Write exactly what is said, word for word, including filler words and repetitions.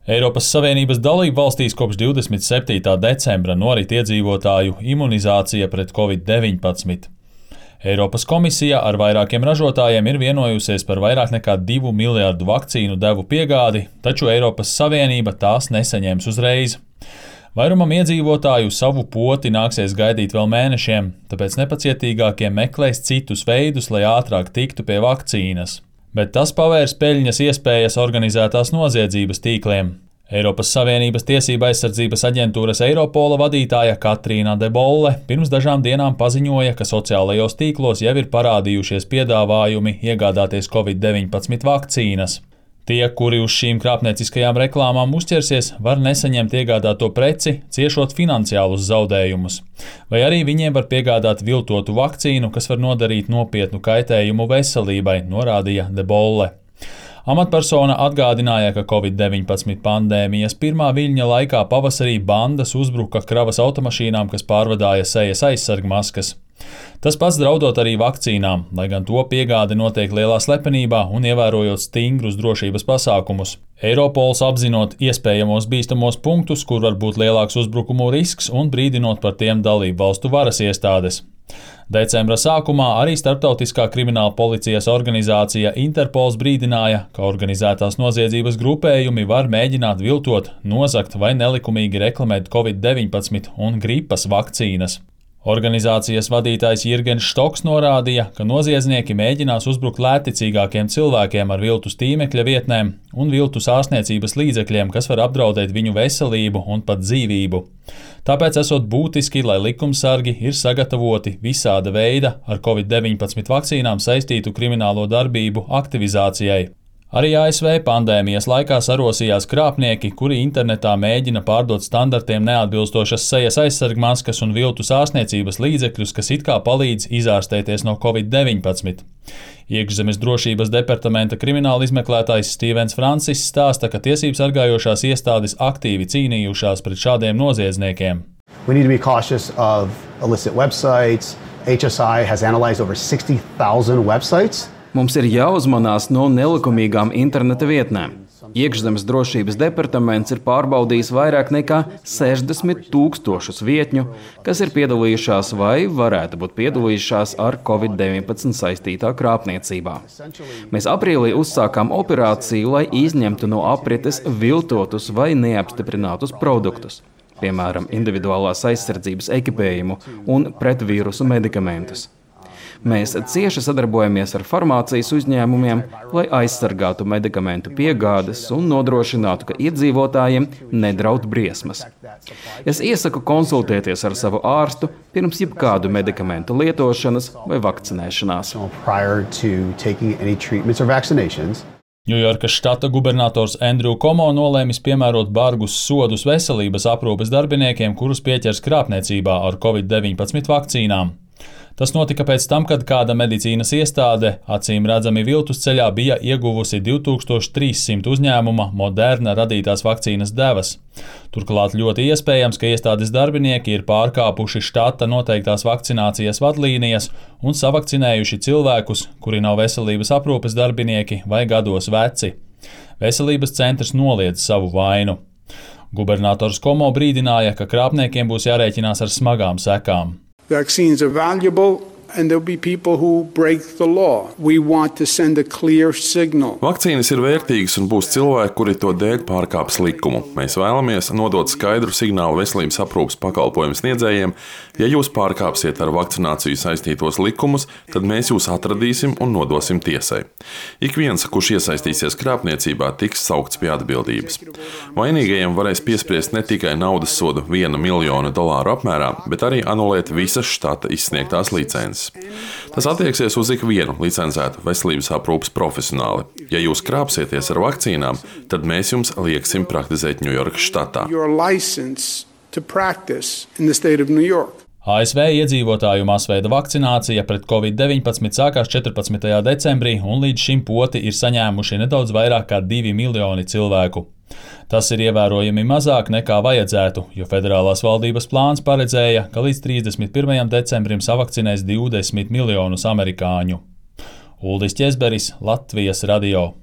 Eiropas Savienības dalību valstīs kopš divdesmit septītā decembra norit iedzīvotāju imunizācija pret covid deviņpadsmit. Eiropas komisija ar vairākiem ražotājiem ir vienojusies par vairāk nekā divu miljardu vakcīnu devu piegādi, taču Eiropas Savienība tās nesaņems uzreiz. Vairumam iedzīvotāju savu poti nāksies gaidīt vēl mēnešiem, tāpēc nepacietīgākie meklēs citus veidus, lai ātrāk tiktu pie vakcīnas. Bet tas pavērs peļņas iespējas organizētās noziedzības tīkliem. Eiropas Savienības tiesība aizsardzības aģentūras Eiropola vadītāja Katrīna de Bolle pirms dažām dienām paziņoja, ka sociālajos tīklos jau ir parādījušies piedāvājumi iegādāties covid deviņpadsmit vakcīnas. Tie, kuri uz šīm krāpnieciskajām reklāmām uzķersies, var nesaņemt iegādāto preci, ciešot finansiālus zaudējumus. Vai arī viņiem var piegādāt viltotu vakcīnu, kas var nodarīt nopietnu kaitējumu veselībai, norādīja de Bolle. Amatpersona atgādināja, ka covid deviņpadsmit pandēmijas pirmā viļņa laikā pavasarī bandas uzbruka kravas automašīnām, kas pārvadāja sejas aizsargmaskas. Tas pats draudot arī vakcīnām, lai gan to piegāde notiek lielā slepenībā un ievērojot stingrus drošības pasākumus. Eiropols apzinot iespējamos bīstamos punktus, kur var būt lielāks uzbrukumu risks un brīdinot par tiem dalību valstu varas iestādes. Decembra sākumā arī starptautiskā krimināla policijas organizācija Interpols brīdināja, ka organizētās noziedzības grupējumi var mēģināt viltot, nozagt vai nelikumīgi reklamēt covid deviņpadsmit un gripas vakcīnas. Organizācijas vadītājs Jirgens Štoks norādīja, ka noziedznieki mēģinās uzbrukt lētticīgākiem cilvēkiem ar viltus tīmekļa vietnēm un viltus ārstniecības līdzekļiem, kas var apdraudēt viņu veselību un pat dzīvību. Tāpēc esot būtiski, lai likumsargi ir sagatavoti visāda veida ar covid deviņpadsmit vakcīnām saistītu kriminālo darbību aktivizācijai. Arī A S V pandēmijas laikā sarosījās krāpnieki, kuri internetā mēģina pārdot standartiem neatbilstošas sejas aizsargmaskas un viltus ārstniecības līdzekļus, kas it kā palīdz izārstēties no covid deviņpadsmit. Iekšzemes drošības departamenta krimināla izmeklētājs Stevens Francis stāsta, ka tiesības sargājošās iestādes aktīvi cīnījušās pret šādiem noziedzniekiem. We need to be cautious of illicit websites. H S I has analyzed over sixty thousand websites. Mums ir jāuzmanās no nelikumīgām interneta vietnēm. Iekšzemes drošības departaments ir pārbaudījis vairāk nekā sešdesmit tūkstošus vietņu, kas ir piedalījušās vai varētu būt piedalījušās ar covid deviņpadsmit saistītā krāpniecībā. Mēs aprīlī uzsākām operāciju, lai izņemtu no aprites viltotus vai neapstiprinātus produktus, piemēram, individuālās aizsardzības ekipējumu un pretvīrusu medikamentus. Mēs cieši sadarbojamies ar farmācijas uzņēmumiem, lai aizsargātu medikamentu piegādes un nodrošinātu, ka iedzīvotājiem nedraud briesmas. Es iesaku konsultēties ar savu ārstu pirms jebkādu medikamentu lietošanas vai vakcinēšanās. Ņujorkas štata gubernators Andrew Cuomo nolēmis piemērot bargus sodus veselības aprūpes darbiniekiem, kurus pieķers krāpniecībā ar covid deviņpadsmit vakcīnām. Tas notika pēc tam, kad kāda medicīnas iestāde, acīm redzami viltus ceļā, bija ieguvusi divi tūkstoši trīssimt uzņēmuma Moderna radītās vakcīnas devas. Turklāt ļoti iespējams, ka iestādes darbinieki ir pārkāpuši štata noteiktās vakcinācijas vadlīnijas un savakcinējuši cilvēkus, kuri nav veselības aprūpes darbinieki vai gados veci. Veselības centrs noliedz savu vainu. Gubernators Cuomo brīdināja, ka krāpniekiem būs jārēķinās ar smagām sekām. Vaccines are valuable, and there'll be people who break the law. We want to send a clear signal. Vakcīnas ir vērtīgas un būs cilvēki, kuri to dēļ pārkāps likumu. Mēs vēlamies nodot skaidru signālu veselības aprūpes pakalpojumu sniedzējiem. Ja jūs pārkāpsiet ar vakcināciju saistītos likumus, tad mēs jūs atradīsim un nodosim tiesai. Ik viens, kurš iesaistīsies krāpniecībā, tiks saukts pie atbildības. Vainīgajiem varēs piespriest ne tikai naudas sodu viena miljona dolāru apmērā, bet arī anulēt visas štata izsniegtās licences. Tas attieksies uz ikvienu licencētu veselības aprūpes profesionāli. Ja jūs krāpsieties ar vakcīnām, tad mēs jums lieksim praktizēt Ņujorkas štatā. A S V iedzīvotāju masveida vakcinācija pret covid deviņpadsmit sākās četrpadsmitajā decembrī, un līdz šim poti ir saņēmuši nedaudz vairāk kā divi miljoni cilvēku. Tas ir ievērojami mazāk nekā vajadzētu, jo federālās valdības plāns paredzēja, ka līdz trīsdesmit pirmajam decembrim savakcinēs divdesmit miljonus amerikāņu. Uldis Ķezberis, Latvijas radio.